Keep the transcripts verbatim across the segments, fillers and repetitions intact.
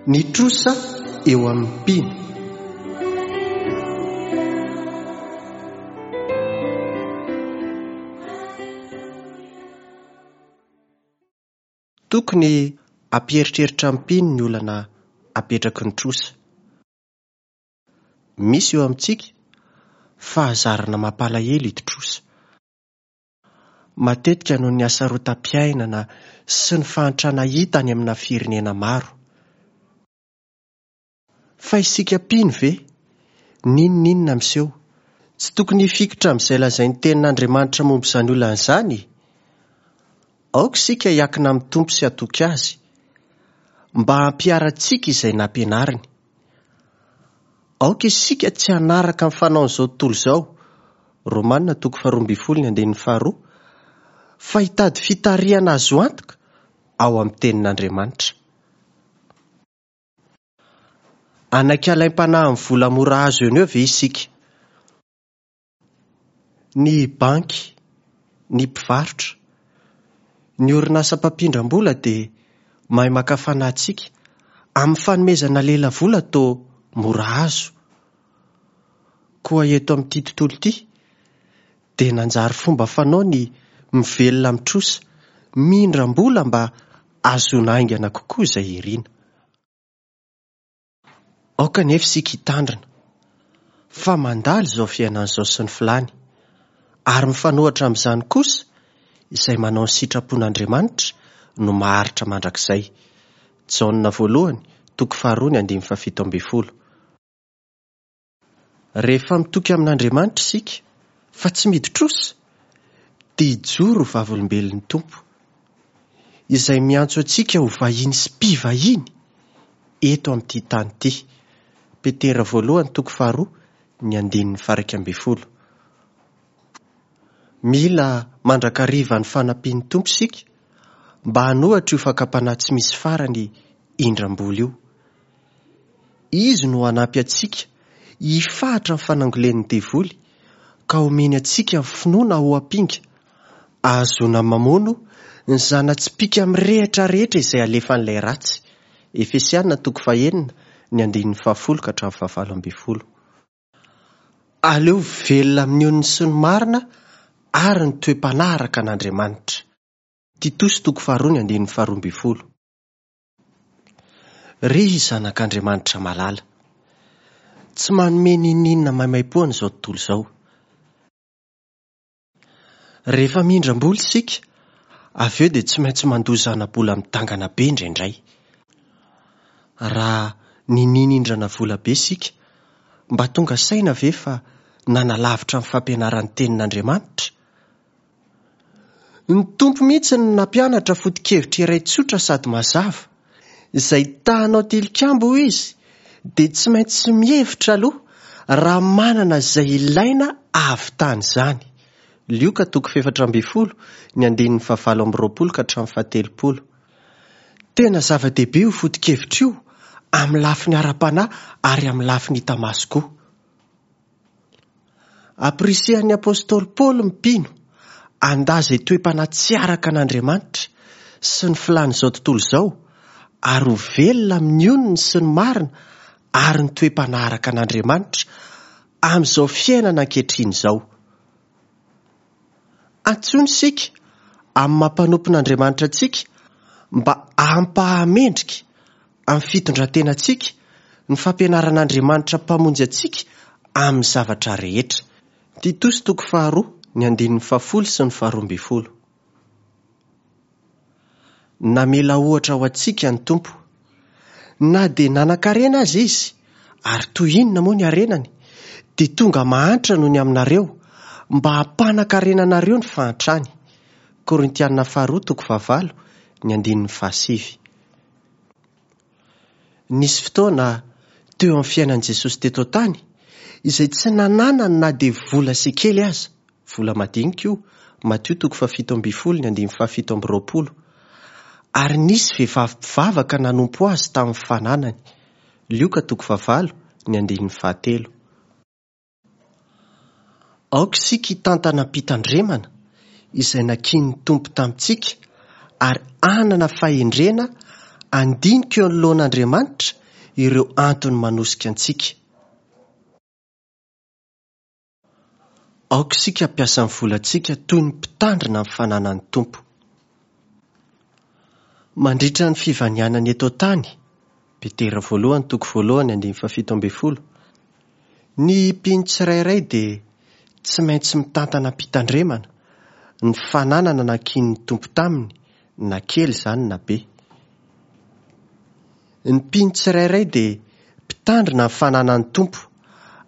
Ny trosa eo amin'ny mpino. Tokony hampieritreritra ny mpino ny olana apetraky ny trosa. Misy eo amintsika fahazarana mampalahelo hidi-trosa. Matetika noho ny hasarotam-piainana sy ny fahantrana hita any amina firenena maro. Fa isika mpino ve? N'inon'inona miseho, tsy tokony hifikitra amin'izay lazain'ny tenin'Andriamanitra momba izany olana izany? Aoka isika hiankina amin'ny Tompo sy hatoky Azy, mba hampiharantsika izay nampianariny. Aoka isika tsy hanaraka ny fanaon'izao tontolo izao, Romana toko faharoa ambin'ny folo ny andininy faharoa, fa hitady fitarihana azo antoka ao amin'ny tenin'Andriamanitra. Hanaiky alaim-panahy amin'ny vola mora azo eo no eo ve isika? Ny banky, ny mpivarotra, ny orinasa mpampindram-bola dia mahay maka fanahy antsika amin'ny fanomezana lelavola toa mora azo. Koa eto amin'ity tontolo ity dia nanjary fomba fanao ny mivelona amin'ny trosa, mindram-bola mba hahazoana haingana kokoa izay irina. Aoka anefa isika hitandrina fa mandalo izao fiainana izao sy ny filàny, ary mifanohitra amin'izany kosa izay manao ny sitrapon'Andriamanitra no maharitra mandrakizay. Jaona voalohany, toko faharoa ny andininy fahafito ambin'ny folo. Rehefa mitoky amin'Andriamanitra isika fa tsy midi-trosa, dia hijoro ho vavolombelon'ny Tompo, izay miantso antsika ho vahiny sy mpivahiny eto amin'ity tany ity. Petera voalohany, toko faharoa, ny andininy faha-iraika ambin'ny folo. Mila mandrakariva ny fanampian'ny Tompo isika mba hanohitra io fakam-panahy tsy misy farany indram-bola io. Izy no hanampy antsika hifahatra ny fanangolen'ny devoly ka homeny antsika ny finoana ho ampinga, ahazoana mamono ny zana-tsipìka mirehitra rehetra izay alefan'ilay ratsy. Efesiana toko fahenina ny andininy fahafolo ka hatramin'ny fahavalo ambin'ny folo. Aleo velona amin'ny onony sy ny marina ary ny toe-panahy araka an'Andriamanitra. Titosy toko faharoa ny andininy faharoa ambin'ny folo. Ry zanak'Andriamanitra malala, tsy manome n'inon'inona maimaimpoana izao tontolo izao. Rehefa mindram-bola isika, avy eo dia tsy maintsy mandoa zana-bola midangana be indraindray. Raha nininindrana vola be isika, mba tonga saina ve fa nanalavitra ny fampianaran'ny tenin'Andriamanitra? Ny Tompo mihitsy no nampianatra foto-kevitra iray tsotra sady mazava. Izay ta-hanao tilikambo hoy izy, dia tsy maintsy mihevitra aloha raha manana izay ilaina ahavitana izany. Lioka toko fahefatra ambin'ny folo, ny andininy fahavalo amby roapolo ka hatramin'ny fahatelopolo. Tena zava-dehibe io foto-kevitra io amin'ny lafiny ara-panahy ary amin'ny lafiny hita maso koa. Ampirisihan'ny apostoly Paoly ny mpino handà izay toe-panahy tsy araka an'Andriamanitra sy ny filàn'izao tontolo izao ary ho velona amin'ny onony sy ny marina ary ny toe-panahy araka an'Andriamanitra amin'izao fiainana ankehitriny izao. Antsoina isika amin'ny maha mpanompon'Andriamanitra antsika mba hampahamendrika amin'ny fitondran-tenantsika ny fampianaran'Andriamanitra mpamonjy antsika amin'ny zavatra rehetra. Titosy toko faharoa ny andininy fahafolo sy ny faharoa ambin'ny folo. Namela ohatra ho antsika ny Tompo. Na dia nanan-karena aza izy, ary toy inona moa ny harenany, dia tonga mahantra noho ny aminareo, mba hampanan-karena anareo ny fahantrany. Korintiana faharoa toko fahavalo ny andininy fahasivy. Nisy fotoana teo amin'ny fiainan'i Jesosy teto an-tany izay tsy nananany na dia vola sy kely aza, vola madinika io, Matio toko fahafito ambin'ny folo ny andininy fahafito amby roapolo. Ary nisy vehivavy mpivavaka nanompo azy tamin'ny fananany. Lioka toko fahavalo ny andininy fahatelo. Aoka isika hitantana am-pitandremana izay nakian'ny Tompo tamintsika ary hanana fahendrena Handinika eo anoloan'Andriamanitra ireo antony manosika antsika. Aoka isika hampiasa ny volantsika toy ny mpitandrina ny fananan'ny Tompo. Mandritra ny fivanianana eto an-tany, Petera voalohany toko voalohany andininy fahafito ambin'ny folo, ny mpino tsirairay dia tsy maintsy mitantana am-pitandremana ny fananana nankinin'ny Tompo taminy, na kely izany na be. Ny mpino tsirairay dia mpitandrina ny fananan'ny Tompo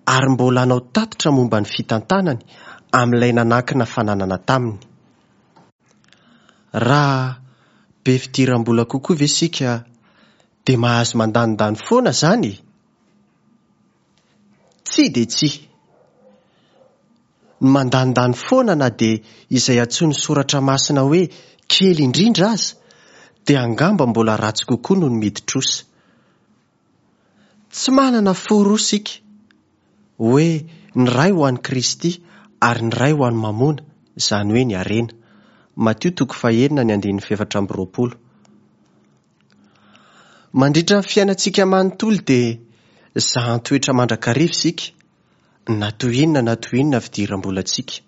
ary mbola hanao tatitra momba ny fitantanany amin'ilay nanankina fananana taminy. Raha be fidiram-bola kokoa ve isika dia mahazo mandanindany foana izany e? Tsia dia tsia. Ny mandanindany foana na dia izay antsoin'ny soratra masina hoe kely indrindra aza dia angamba mbola ratsy kokoa noho ny midi-trosa. Tsy manana fo roa isika, hoe ny iray ho an'i Kristy ary ny iray ho an'i Mamona, izany hoe ny harena. Matio toko fahenina ny andininy fahefatra amby roapolo. Mandritra ny fiainantsika manontolo dia zahan-toetra mandrakariva isika, na toy inona na toy inona fidiram-bolantsika.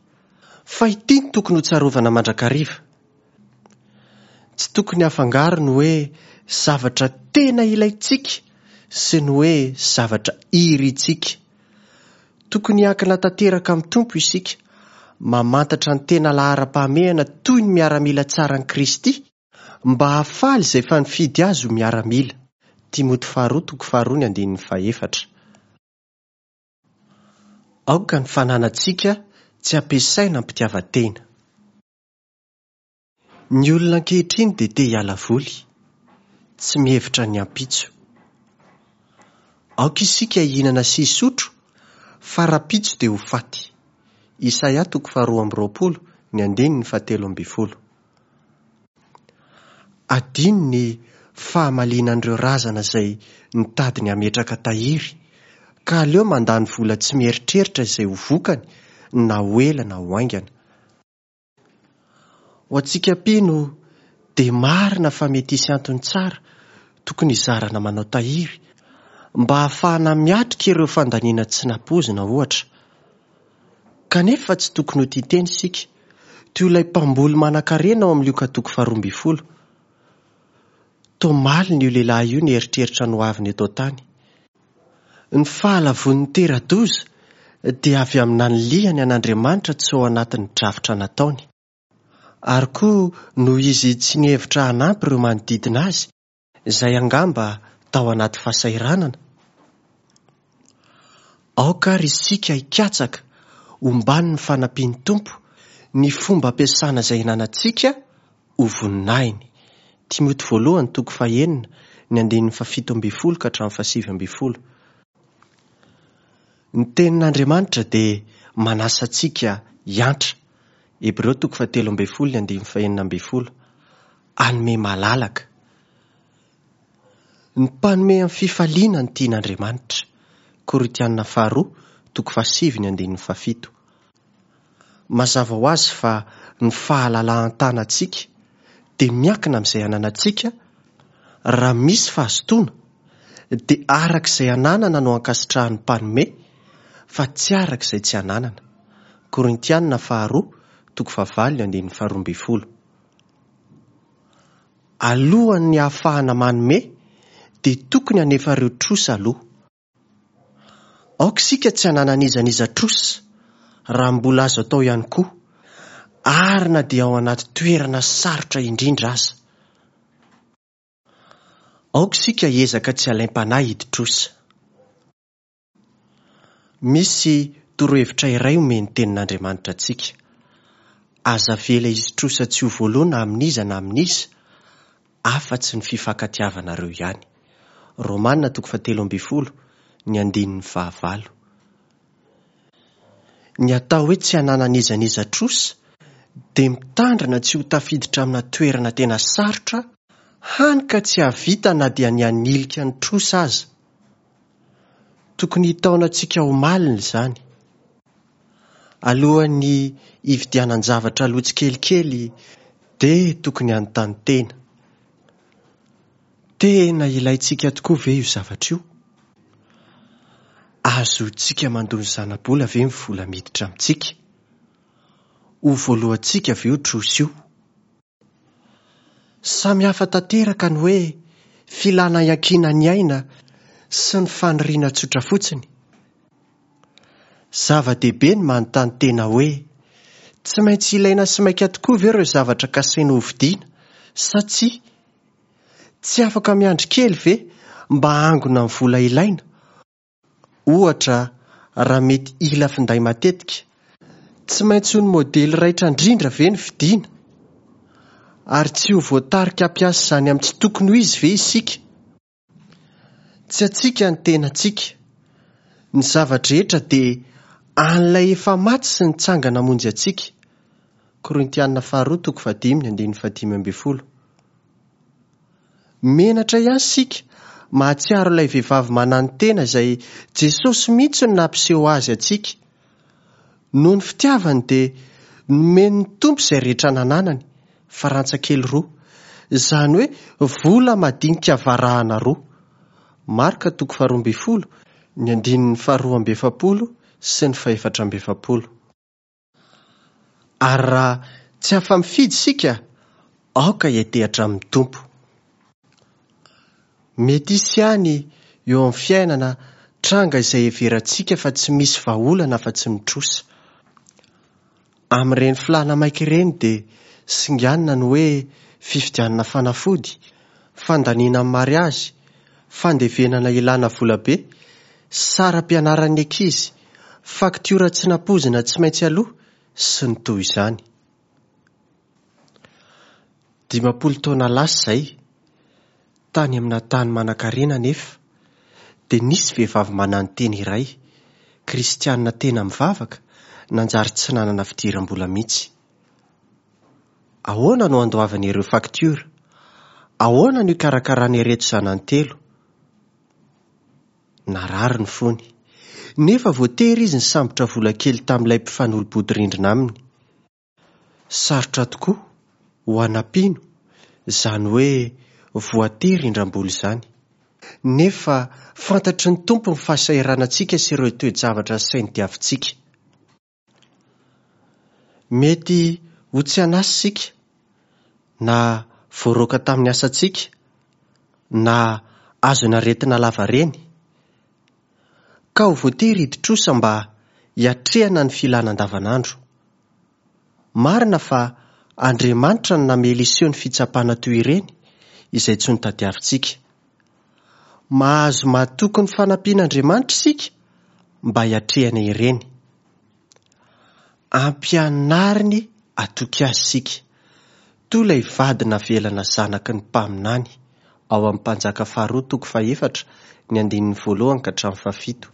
Fa ity no tokony ho tsarovana mandrakariva. Tsy tokony hafangaro ny hoe zavatra tena ilaintsika sy ny hoe zavatra irintsika. Tokony hiankina tanteraka amin'ny Tompo isika, mamantatra ny tena laharam-pahamehana toy ny miaramila tsaran'i Kristy, mba hahafaly izay efa nifidy azy ho miaramila. Timoty faharoa toko faharoa ny andininy fahefatra. Aoka ny fananantsika tsy ampiasaina am-pitiavan-tena. Ny olona ankehitriny dia te hiala voly, tsy mihevitra ny ampitso. Aoka isika hihinana sy hisotro, fa rahampitso dia ho faty. Isaia toko faharoa amby roapolo ny andininy fahatelo ambin'ny folo. Adino ny fahamalinan'ireo razana izay nitady ny hametraka tahiry, ka aleo mandany vola tsy mieritreritra izay ho vokany na ho ela na ho haingana. Ho antsika mpino dia marina fa mety hisy antony tsara tokony hizarana manao tahiry mba hahafahana miatrika ireo fandaniana tsy nampoizina ohatra. Kanefa tsy tokony ho tia tena isika, toy ilay mpamboly manan-karena ao amin'ny Lioka toko faharoa ambin'ny folo. Toa malina io lehilahy io nieritreritra ny hoaviny eto an-tany. Ny fahalavoan'ny tera-doza dia avy amin'ny nanilihany an'Andriamanitra tsy ao anatin'ny drafitra nataony. Ary koa noho izy tsy nihevitra hanampy ireo manodidina azy, izay angamba tao anaty fahasahiranana. Aoka ary isika hikatsaka omban'ny fanampian'ny Tompo ny fomba ampiasana izay ananantsika ho voninahiny. Timoty voalohany toko fahenina ny andininy fahafito ambin'ny folo ka hatramin'ny fahasivy ambin'ny folo. Ny tenin'Andriamanitra dia manasa antsika hiantra. Hebreo toko fahatelo ambin'ny folo ny andininy fahenina ambin'ny folo. Hanome malalaka. Ny mpanome amin'ny fifaliana ny tian'Andriamanitra. Korintiana faharoa toko fahasivy ny andininy fahafito. Mazava ho azy fa ny fahalalahan-tanantsika dia miankina amin'izay ananantsika. Raha misy fahazotoana dia araka izay ananana no ankasitrahan'ny mpanome fa tsy araka izay tsy ananana. Korintiana faharoa toko fahavalo ny andininy faharoa ambin'ny folo. Alohan'ny hahafahana manome dia tokony hanefa ireo trosa aloha. Aoka isika tsy hananan'iza n'iza trosa raha mbola azo atao ihany koa, ary na dia ao anaty toerana sarotra indrindra aza. Aoka isika hiezaka tsy halaim-panahy hidi-trosa. Misy torohevitra iray omen'ny tenin'Andriamanitra antsika. Aza avela hisy trosa tsy ho voaloa na amin'iza na amin'iza, afa-tsy ny fifankatiavanareo ihany. Romana toko fahatelo ambin'ny folo ny andininy fahavalo. Ny atao hoe tsy hananan'iza n'iza trosa dia mitandrina tsy ho tafiditra amina toerana tena sarotra, hany ka tsy hahavita na dia ny hanilika ny trosa aza. Tokony hitaona antsika ho malina izany. Alohan'ny hividianan-javatra aloha tsikelikely dia tokony hanontany tena. Tena ilaintsika tokoa ve io zavatra io? Azontsika mandoa ny zana-bola ve ny vola miditra amintsika? Ho voalohantsika ve io trosa io? Samy hafa tanteraka ny hoe filana iankinan'ny aina sy ny faniriana tsotra fotsiny. Zava-dehibe ny manontany tena hoe tsy maintsy ilaina sy maika tokoa ve ireo zavatra kasaina hovidiana sa tsia? Tsy afaka miandry kely ve mba hangona ny vola ilaina? Ohatra, raha mety hila finday matetika, tsy maintsy ho ny modely raitra indrindra ve ny vidiana? Ary tsy ho voatarika hampiasa izany amin'ny tsy tokony ho izy ve isika? Tsy antsika ny tenantsika. Ny zava-drehetra dia an'ilay efa maty sy nitsangana hamonjy antsika. Korintiana faharoa toko fahadimy ny andininy fahadimy ambin'ny folo. Menatra ihany isika mahatsiaro ilay vehivavy mananotena izay Jesosy mihitsy no nampiseho azy antsika. Noho ny fitiavany dia nomen'ny Tompo izay rehetra nananany, farantsa kely roa, izany hoe vola madinika varahana roa. Marka toko faharoa ambin'ny folo, ny andininy faharoa amby efapolo sy ny fahefatra amby efapolo. Ary raha tsy afa-mifidy isika, aoka hiantehatra amin'ny Tompo. Mety hisy ihany eo amin'ny fiainana tranga izay heverantsika fa tsy misy vahaolana afa-tsy ny trosa. Amin'ireny filàna maika ireny dia singanina ny hoe fividianana fanafody, fandaniana amin'ny mariazy, fandevenana ilana volabe, saram-pianaran'ny ankizy, faktiora tsy nampoizina tsy maintsy aloha sy ny toy izany. Dimampolo taona lasa izay, tany amina tany manankarena nefa, dia nisy vehivavy mananotena iray, kristianina tena mivavaka, nanjary tsy nanana fidiram-bola mihitsy. Ahoana no andoavany ireo faktiora? Ahoana no hikarakarany ireto zanany telo? Narary ny fony, nefa voatery izy nisambotra vola kely tamin'ilay mpifanolo-bodirindrina aminy. Sarotra tokoa ho ana mpino izany hoe voatery indram-bola izany. Nefa fantatry ny Tompo ny fahasahiranantsika sy ireo toe-javatra sainy diavintsika. Mety ho tsy an'asa isika, na voaroaka tamin'ny asantsika, na azon'aretina lavareny, ka ho voatery hidi-trosa mba hiatrehana ny filana andavanandro. Marina fa Andriamanitra no namela hiseho ny fitsapana toy ireny izay tsy notadiavintsika. Mahazo matoky ny fanampian'Andriamanitra isika mba hiatrehana ireny. Ampianariny hatoky azy isika, toy ilay vady navelana zanaky ny mpaminany ao amin'ny Mpanjaka faharoa toko fahefatra ny andininy voalohany ka hatramin'ny fahafito.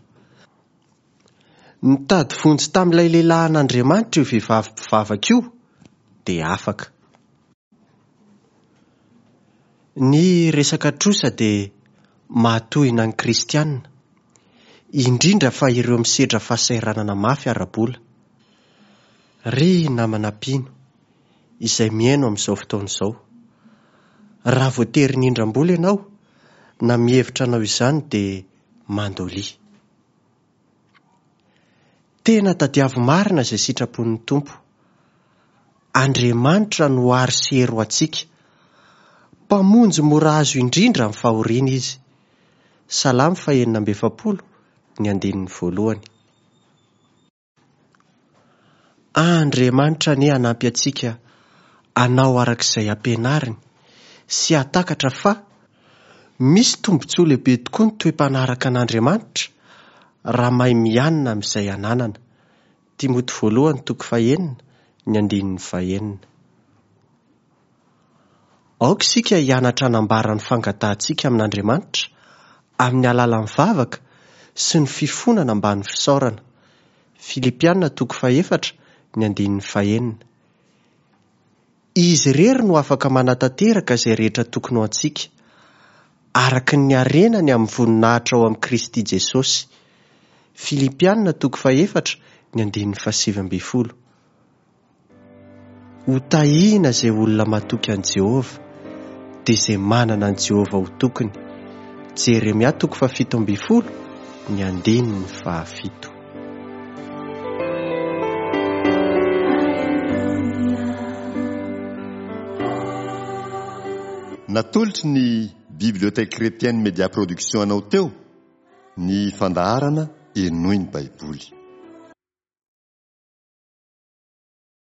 Nitady vonjy tamin'ilay lehilahin'Andriamanitra io vehivavy mpivavaka io dia afaka. Ny resaka trosa dia mahatohina ny kristianina, indrindra fa ireo misedra fahasahiranana mafy ara-bola. Ry namana mpino izay mihaino amin'izao fotoana izao, raha voatery nindram-bola ianao na mihevitra anao izany dia mandolia. Tena tadiavo marina izay sitrapon'ny Tompo. Andriamanitra no aro sy hery ho antsika. Mpamonjy mora azo indrindra amin'ny fahoriana izy. Salamo fahenina amby efapolo ny andininy voalohany. Andriamanitra anie hanampy antsika hanao araka izay ampianariny sy hahatakatra fa misy tombontsoa lehibe tokoa ny toe-panaraka an'Andriamanitra raha mahay mianina amin'izay ananana. Timoty voalohany toko fahenina ny andininy fahenina. Aoka isika hianatra hanambara ny fangatahantsika amin'Andriamanitra amin'ny alalan'ny vavaka sy ny fifonana ambany fisaorana. Filipiana toko fahefatra ny andininy fahenina. Izy irery no afaka manatanteraka izay rehetra tokony ho antsika, araka ny harenany amin'ny voninahitra ao amin'i Kristy Jesosy. Filipiana toko fahefatra ny andininy fahasivy ambin'ny folo. Ho tahiana izay olona matoky an'i Jehovah, dia izay manana an'i Jehovah ho tokiny. Jeremia toko fahafito ambin'ny folo, ny andininy fahafito. Natolotry ny Bibliothèque Chrétienne Média Production anao teo ny fandaharana Henoy ny Baiboly.